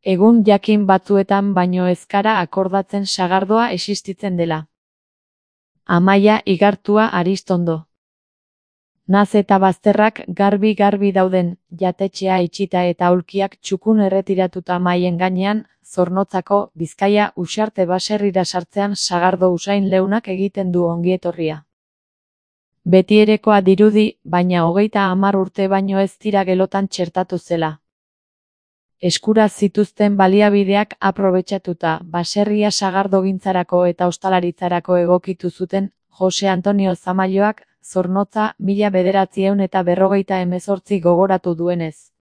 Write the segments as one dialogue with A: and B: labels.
A: Egun jakin batzuetan baino ez gara akordatzen sagardoa existitzen dela. Amaia Igartua Aristondo. Naz eta bazterrak garbi dauden, jatetxea itxita eta aulkiak txukun erretiratuta maien gainean, Zornotzako, Bizkaia Uxarte baserrira sartzean sagardo usain leunak egiten du ongietorria. Betierekoa dirudi, baina 30 urte baino ez dira gelotan txertatu zela. Eskura zituzten baliabideak aprobetxatuta, baserria sagardogintzarako eta ostalaritzarako egokitu zuten, Jose Antonio Zamaioak, Zornotza 1948 gogoratu duenez.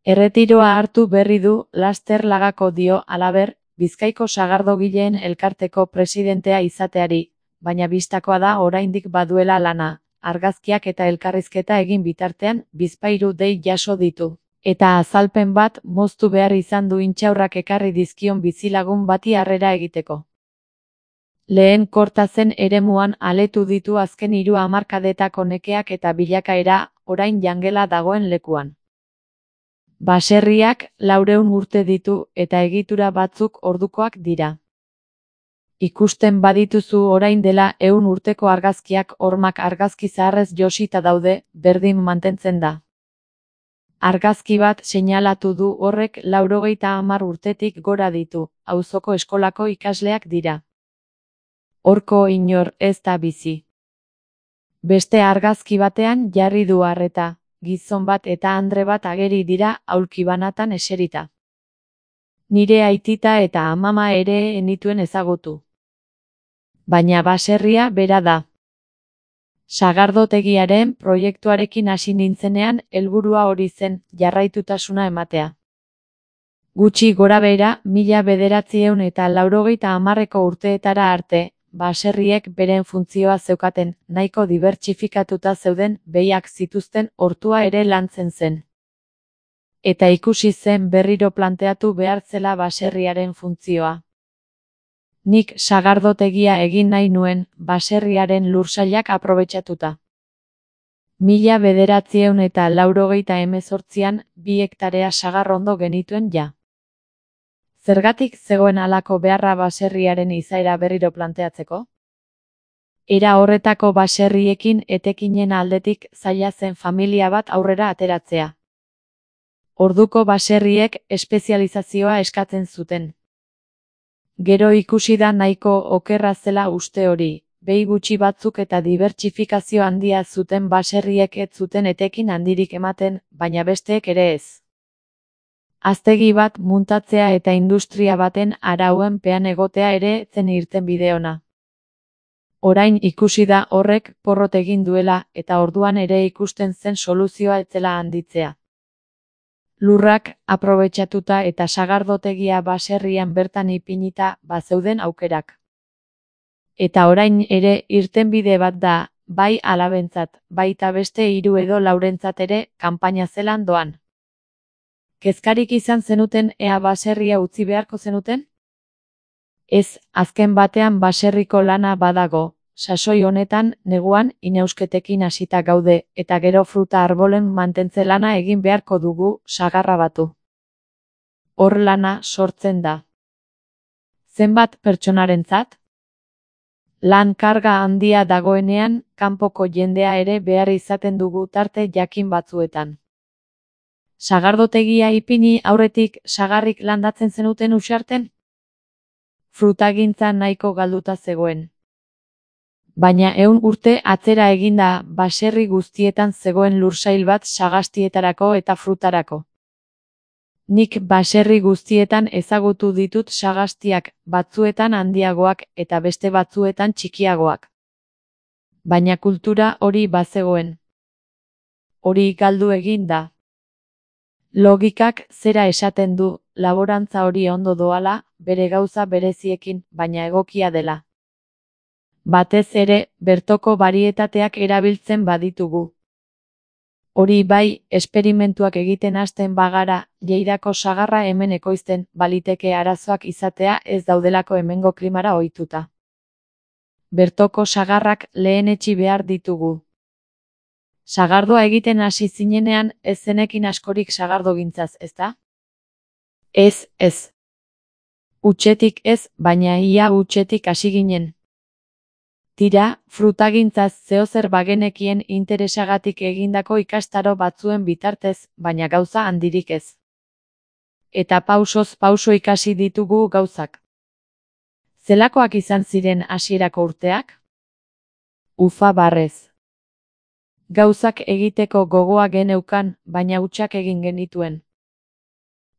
A: Erretiroa hartu berri du, laster lagako dio, halaber, Bizkaiko sagardogileen elkarteko presidentea izateari, baina bistakoa da oraindik baduela lana, argazkiak eta elkarrizketa egin bitartean, bizpahiru dei jaso ditu. Eta azalpen bat moztu behar izan du intxaurrak ekarri dizkion bizilagun bati harrera egiteko. Lehen Kortazen eremuan aletu ditu azken 3 hamarkadetako nekeak eta bilakaera, orain jangela dagoen lekuan. Baserriak 400 urte ditu eta egitura batzuk ordukoak dira. Ikusten badituzu orain dela 100 urteko argazkiak hormak argazki zaharrez josita daude, berdin mantentzen da. Argazki bat seinalatu du horrek 90 urtetik gora ditu, auzoko eskolako ikasleak dira. Horko inor ez da bizi. Beste argazki batean jarri du arreta, gizon bat eta andre bat ageri dira aulki banatan eserita. Nire aitita eta amama ere enituen ezagutu. Baina baserria bera da. Sagardotegiaren proiektuarekin hasi nintzenean helburua hori zen, jarraitutasuna ematea. Gutxi gorabehera 1980ko urteetara arte, baserriek beren funtzioa zeukaten, nahiko dibertsifikatuta zeuden, behiak zituzten, hortua ere lantzen zen. Eta ikusi zen berriro planteatu behar zela baserriaren funtzioa. Nik sagardotegia egin nahi nuen, baserriaren lursailak aprobetxatuta. 1988an 2 hektarea sagarrondo genituen ja. Zergatik zegoen halako beharra baserriaren izaera berriro planteatzeko? Era horretako baserriekin etekinen aldetik zaila zen familia bat aurrera ateratzea. Orduko baserriek espezializazioa eskatzen zuten. Gero ikusi da nahiko okerra zela uste hori, behi gutxi batzuk eta dibertsifikazio handia zuten baserriek ez zuten etekin handirik ematen, baina besteek ere ez. Haztegi bat muntatzea eta industria baten arauen pean egotea ere zen irtenbide ona. Orain ikusi da horrek porrot egin duela eta orduan ere ikusten zen soluzioa ez zela handitzea. Lurrak aprobetxatuta eta sagardotegia baserrian bertan ipinita bazeuden aukerak. Eta orain ere irtenbide bat da, bai alabentzat, baita beste 3 edo 4rentzat ere, kanpaina zelan doan. Kezkarik izan zenuten ea baserria utzi beharko zenuten? Ez, azken batean baserriko lana badago, sasoi honetan, neguan, inausketekin hasita gaude, eta gero fruta arbolen mantentze lana egin beharko dugu, sagarra batu. Hor lana sortzen da. Zenbat pertsonarentzat? Lan karga handia dagoenean, kanpoko jendea ere behar izaten dugu tarte jakin batzuetan. Sagardotegia ipini aurretik sagarrik landatzen zenuten Uxarten? Frutagintza nahiko galduta zegoen. Baina 100 urte atzera eginda baserri guztietan zegoen lursail bat sagastietarako eta frutarako. Nik baserri guztietan ezagutu ditut sagastiak, batzuetan handiagoak eta beste batzuetan txikiagoak. Baina kultura hori bazegoen. Hori galdu egin da. Logikak zera esaten du, laborantza hori ondo doala, bere gauza bereziekin, baina egokia dela. Batez ere, bertoko barietateak erabiltzen baditugu. Hori bai, esperimentuak egiten hasten bagara, Lleidako sagarra hemen ekoizten, baliteke arazoak izatea ez daudelako hemengo klimara ohituta. Bertoko sagarrak lehenetsi behar ditugu. Sagardoa egiten hasi zinenean ez zenekin askorik sagardogintzaz, ezta? Ez. Hutsetik ez, baina ia hutsetik hasi ginen. Tira, frutagintzaz zeozer bagenekien interesagatik egindako ikastaro batzuen bitartez, baina gauza handirik ez. Eta pausoz pauso ikasi ditugu gauzak. Zelakoak izan ziren hasierako urteak? Ufa barrez. Gauzak egiteko gogoa geneukan, baina hutsak egin genituen.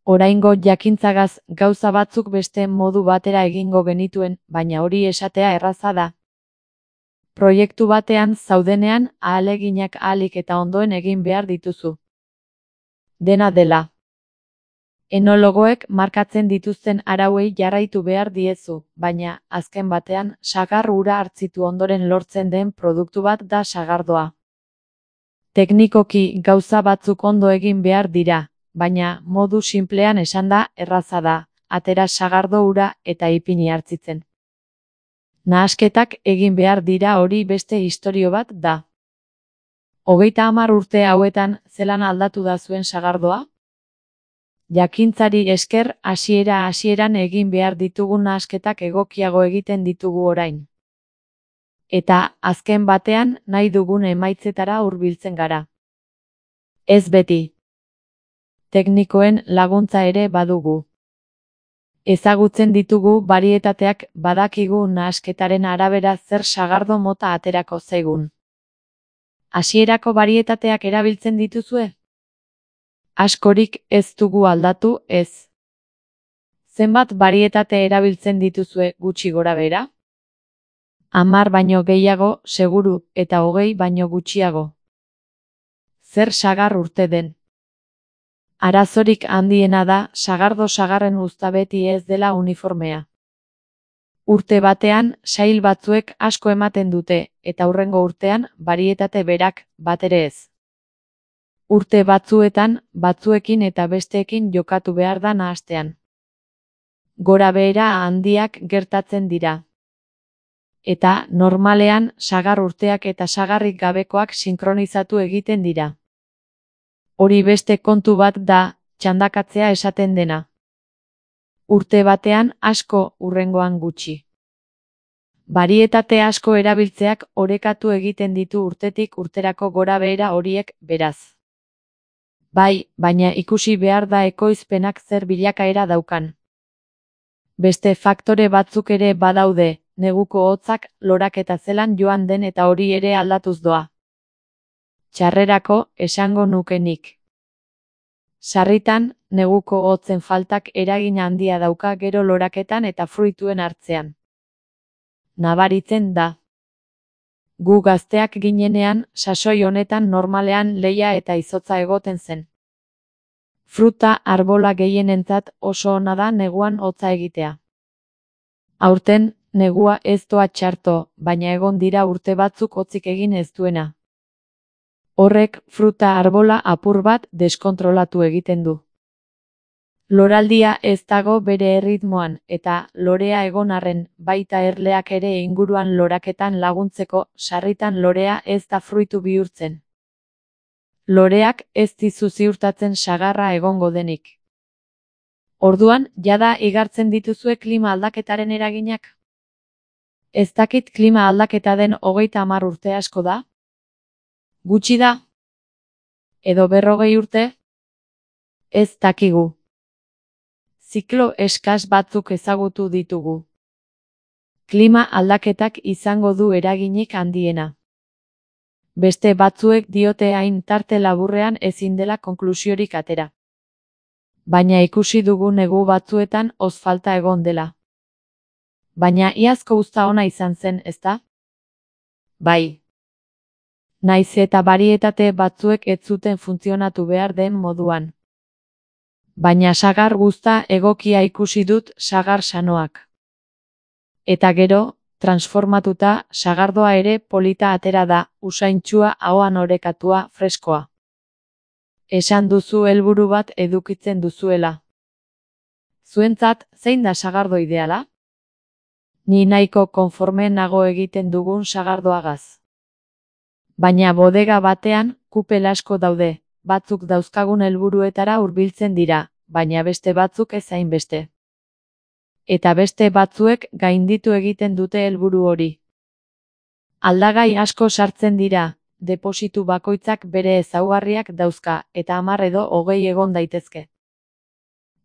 A: Oraingo jakintzagaz gauza batzuk beste modu batera egingo genituen, baina hori esatea erraza da. Proiektu batean zaudenean ahaleginak ahalik eta ondoen egin behar dituzu. Dena dela. Enologoek markatzen dituzten arauei jarraitu behar diezu, baina, azken batean, sagar ura hartzitu ondoren lortzen den produktu bat da sagardoa. Teknikoki gauza batzuk ondo egin behar dira, baina modu sinplean esanda erraza da, atera sagardo ura eta ipini hartzitzen. Nahasketak egin behar dira hori beste istorio bat da. 30 urte hauetan zelan aldatu da zuen sagardoa? Jakintzari esker hasieran egin behar ditugun nahasketak egokiago egiten ditugu orain. Eta, azken batean, nahi dugun emaitzetara hurbiltzen gara. Ez beti. Teknikoen laguntza ere badugu. Ezagutzen ditugu barietateak, badakigu nahasketaren arabera zer sagardo mota aterako zaigun. Hasierako barietateak erabiltzen dituzue? Askorik ez dugu aldatu, ez. Zenbat barietate erabiltzen dituzue gutxi gorabehera? 10 baino gehiago, seguru, eta 20 baino gutxiago. Zer sagar urte den? Arazorik handiena da, sagardo-sagarren uzta beti ez dela uniformea. Urte batean, sail batzuek asko ematen dute, eta hurrengo urtean, barietate berak, batere ez. Urte batzuetan, batzuekin eta besteekin jokatu behar da nahastean. Gora behera handiak gertatzen dira. Eta, normalean, sagar urteak eta sagarrik gabekoak sinkronizatu egiten dira. Hori beste kontu bat da, txandakatzea esaten dena. Urte batean asko, hurrengoan gutxi. Barietate asko erabiltzeak orekatu egiten ditu urtetik urterako gora behera horiek, beraz. Bai, baina ikusi behar da ekoizpenak zer bilakaera daukan. Beste faktore batzuk ere badaude, neguko hotzak, loraketa zelan joan den eta hori ere aldatuz doa. Txarrerako, esango nuke nik. Sarritan, neguko hotzen faltak eragin handia dauka gero loraketan eta fruituen hartzean. Nabaritzen da. Gu gazteak ginenean, sasoi honetan normalean leia eta izotza egoten zen. Fruta arbola gehienentzat oso ona da neguan hotza egitea. Aurten, negua ez doa txarto, baina egon dira urte batzuk hotzik egin ez duena. Horrek fruta arbola apur bat deskontrolatu egiten du. Loraldia ez dago bere erritmoan, eta lorea egon arren, baita erleak ere inguruan loraketan laguntzeko, sarritan lorea ez da fruitu bihurtzen. Loreak ez dizu ziurtatzen sagarra egongo denik. Orduan, jada igartzen dituzue klima aldaketaren eraginak? Ez dakit klima aldaketa den 30 urte asko da? Gutxi da? Edo 40 urte? Ez dakigu. Ziklo eskas batzuk ezagutu ditugu. Klima aldaketak izango du eraginik handiena. Beste batzuek diote hain tarte laburrean ezin dela konklusiorik atera. Baina ikusi dugu negu batzuetan hoz falta egon dela. Baina iazko uzta ona izan zen, ezta? Bai. Naiz eta barietate batzuek ez zuten funtzionatu behar den moduan. Baina sagar guzta egokia ikusi dut sagar sanoak. Eta gero, transformatuta, sagardoa ere polita atera da, usaintsua, ahoan orekatua, freskoa. Esan duzu helburu bat edukitzen duzuela. Zuentzat, zein da sagardo ideala? Ni nahiko konforme nago egiten dugun sagardoagaz. Baina bodega batean, kupel asko daude, batzuk dauzkagun helburuetara hurbiltzen dira, baina beste batzuk ez hainbeste. Eta beste batzuek gainditu egiten dute helburu hori. Aldagai asko sartzen dira, depositu bakoitzak bere ezaugarriak dauzka eta 10 edo 20 egon daitezke.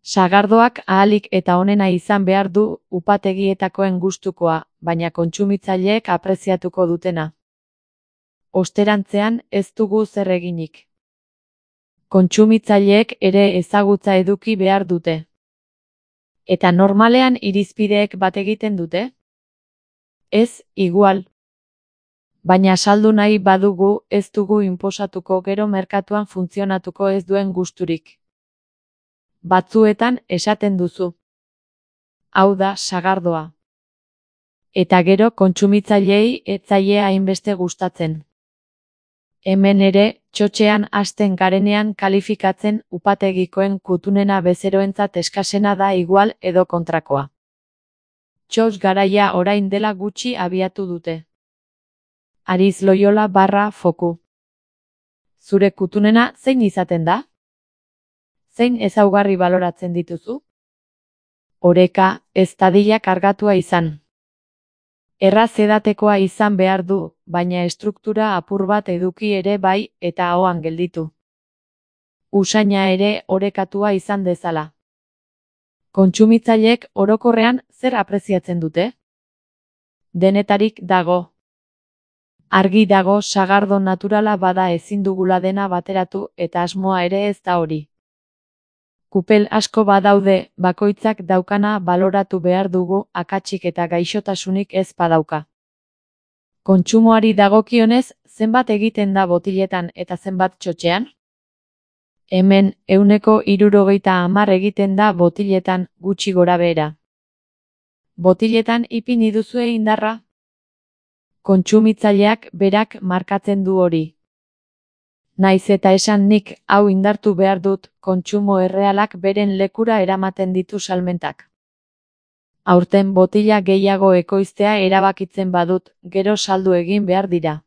A: Sagardoak ahalik eta onena izan behar du upategietakoen gustukoa, baina kontsumitzaileek apreziatuko dutena. Osterantzean ez dugu zer eginik. Kontsumitzaileek ere ezagutza eduki behar dute. Eta normalean irizpideek bat egiten dute? Ez, igual. Baina saldu nahi badugu ez dugu inposatuko gero merkatuan funtzionatuko ez duen gusturik. Batzuetan esaten duzu. Hau da sagardoa. Eta gero kontsumitzaileei ez zaie hainbeste gustatzen. Hemen ere, txotxean hasten garenean kalifikatzen upategikoen kutunena bezeroentzat eskasena da igual edo kontrakoa. Txotx garaia orain dela gutxi abiatu dute. Ariz Loyola /Foku. Zure kutunena zein izaten da? Zein ezaugarri baloratzen dituzu? Oreka, ez dadila kargatua izan. Erraz edatekoa izan behar du, baina estruktura apur bat eduki ere bai eta ahoan gelditu. Usaina ere orekatua izan dezala. Kontsumitzaileek orokorrean zer apreziatzen dute? Denetarik dago. Argi dago sagardo naturala bada ezin dugula dena bateratu eta asmoa ere ez da hori. Kupel asko badaude, bakoitzak daukana baloratu behar dugu akatsik eta gaixotasunik ez badauka. Kontsumoari dagokionez, zenbat egiten da botiletan eta zenbat txotxean? Hemen, 70% egiten da botiletan gutxi gorabehera. Botiletan ipini duzue indarra? Kontsumitzaileak berak markatzen du hori. Naiz eta esan nik hau indartu behar dut, kontsumo errealak beren lekura eramaten ditu salmentak. Aurten botila gehiago ekoiztea erabakitzen badut, gero saldu egin behar dira.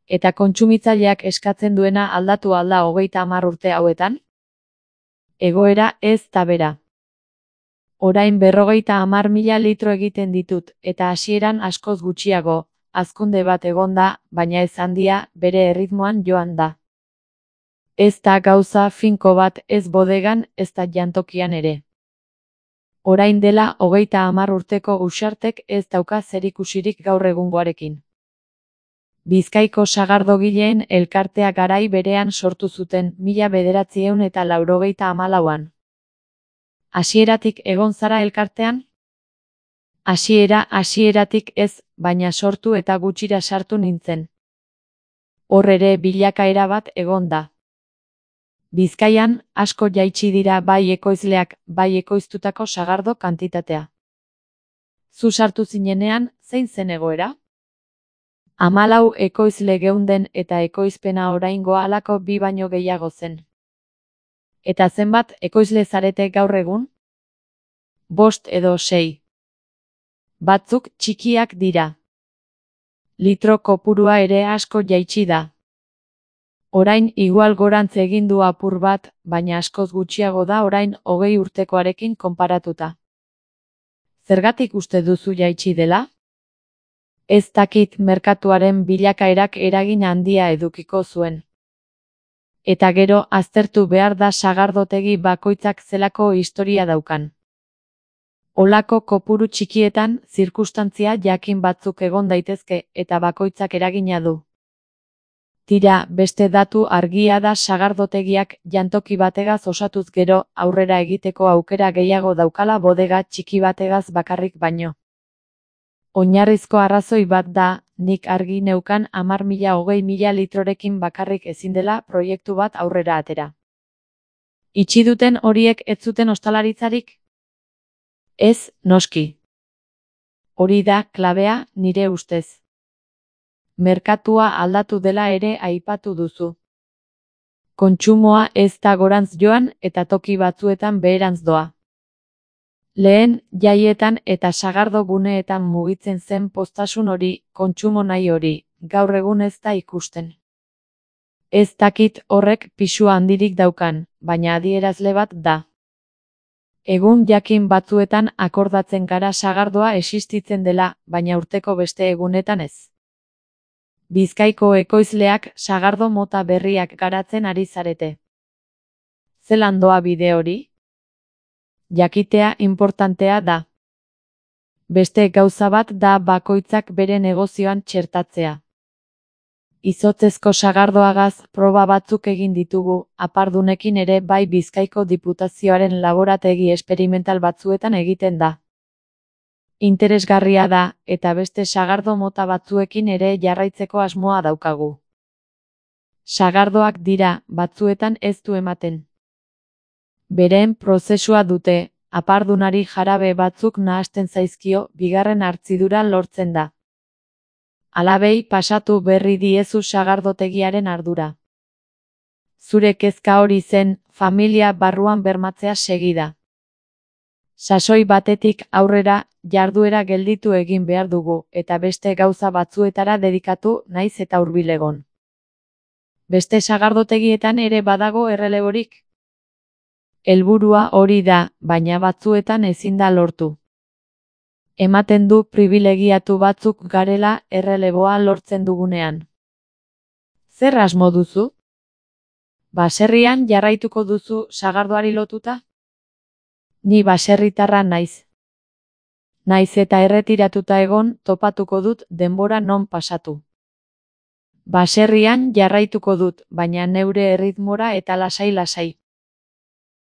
A: Eta kontsumitzaileak eskatzen duena aldatu alda 30 urte hauetan? Egoera ez da bera. Orain 50.000 litro egiten ditut, eta hasieran askoz gutxiago. Hazkunde bat egon da, baina ez handia, bere erritmoan joan da. Ez da gauza finko bat ez bodegan, ez da jantokian ere. Orain dela 30 urteko Uxartek ez dauka zerikusirik gaur egungoarekin. Bizkaiko sagardogileen elkartea garai berean sortu zuten 1984an. Hasieratik egon zara elkartean? Hasieratik ez, baina sortu eta gutxira sartu nintzen. Hor ere bilakaera bat egon da. Bizkaian, asko jaitsi dira bai ekoizleak, bai ekoiztutako sagardo kantitatea. Zu sartu zinenean, zein zen egoera? 14 ekoizle geunden eta ekoizpena oraingoa halako 2 baino gehiago zen. Eta zenbat ekoizle zarete gaur egun? 5 edo 6. Batzuk txikiak dira. Litro kopurua ere asko jaitsi da. Orain igual gorantz egin du apur bat, baina askoz gutxiago da orain 20 urtekoarekin konparatuta. Zergatik uste duzu jaitsi dela? Ez dakit merkatuaren bilakaerak eragin handia edukiko zuen. Eta gero aztertu behar da sagardotegi bakoitzak zelako historia daukan. Olako kopuru txikietan, zirkustantzia jakin batzuk egon daitezke eta bakoitzak eragina du. Tira, beste datu argia da sagardotegiak jantoki bategaz osatuz gero aurrera egiteko aukera gehiago daukala bodega txiki bategaz bakarrik baino. Oinarrizko arrazoi bat da, nik argi neukan 10.000-20.000 litrorekin bakarrik ezin dela proiektu bat aurrera atera. Itxi duten horiek ez zuten ostalaritzarik? Ez, noski. Hori da klabea nire ustez. Merkatua aldatu dela ere aipatu duzu. Kontsumoa ez da gorantz joan eta toki batzuetan beherantz doa. Lehen, jaietan eta sagardo guneetan mugitzen zen poztasun hori, kontsumo nahi hori, gaur egun ez da ikusten. Ez dakit horrek pisu handirik daukan, baina adierazle bat da. Egun jakin batzuetan akordatzen gara sagardoa existitzen dela, baina urteko beste egunetan ez. Bizkaiko ekoizleak sagardo mota berriak garatzen ari zarete. Zelan doa bide hori? Jakitea inportantea da. Beste gauza bat da bakoitzak bere negozioan txertatzea. Izotzezko sagardoagaz proba batzuk egin ditugu, apardunekin ere bai Bizkaiko Diputazioaren laborategi esperimental batzuetan egiten da. Interesgarria da, eta beste sagardo mota batzuekin ere jarraitzeko asmoa daukagu. Sagardoak dira, batzuetan ez du ematen. Beren prozesua dute, apardunari jarabe batzuk nahasten zaizkio, bigarren hartzidura lortzen da. Alabei pasatu berri diezu sagardotegiaren ardura. Zure kezka hori zen, familia barruan bermatzea segida. Sasoi batetik aurrera, jarduera gelditu egin behar dugu, eta beste gauza batzuetara dedikatu naiz eta hurbil egon. Beste sagardotegietan ere badago erreleborik. Helburua hori da, baina batzuetan ezin da lortu. Ematen du pribilegiatu batzuk garela erreleboa lortzen dugunean. Zer asmo duzu? Baserrian jarraituko duzu sagardoari lotuta? Ni baserritarra naiz. Naiz eta erretiratuta egon, topatuko dut denbora non pasatu. Baserrian jarraituko dut, baina neure erritmora eta lasai-lasai.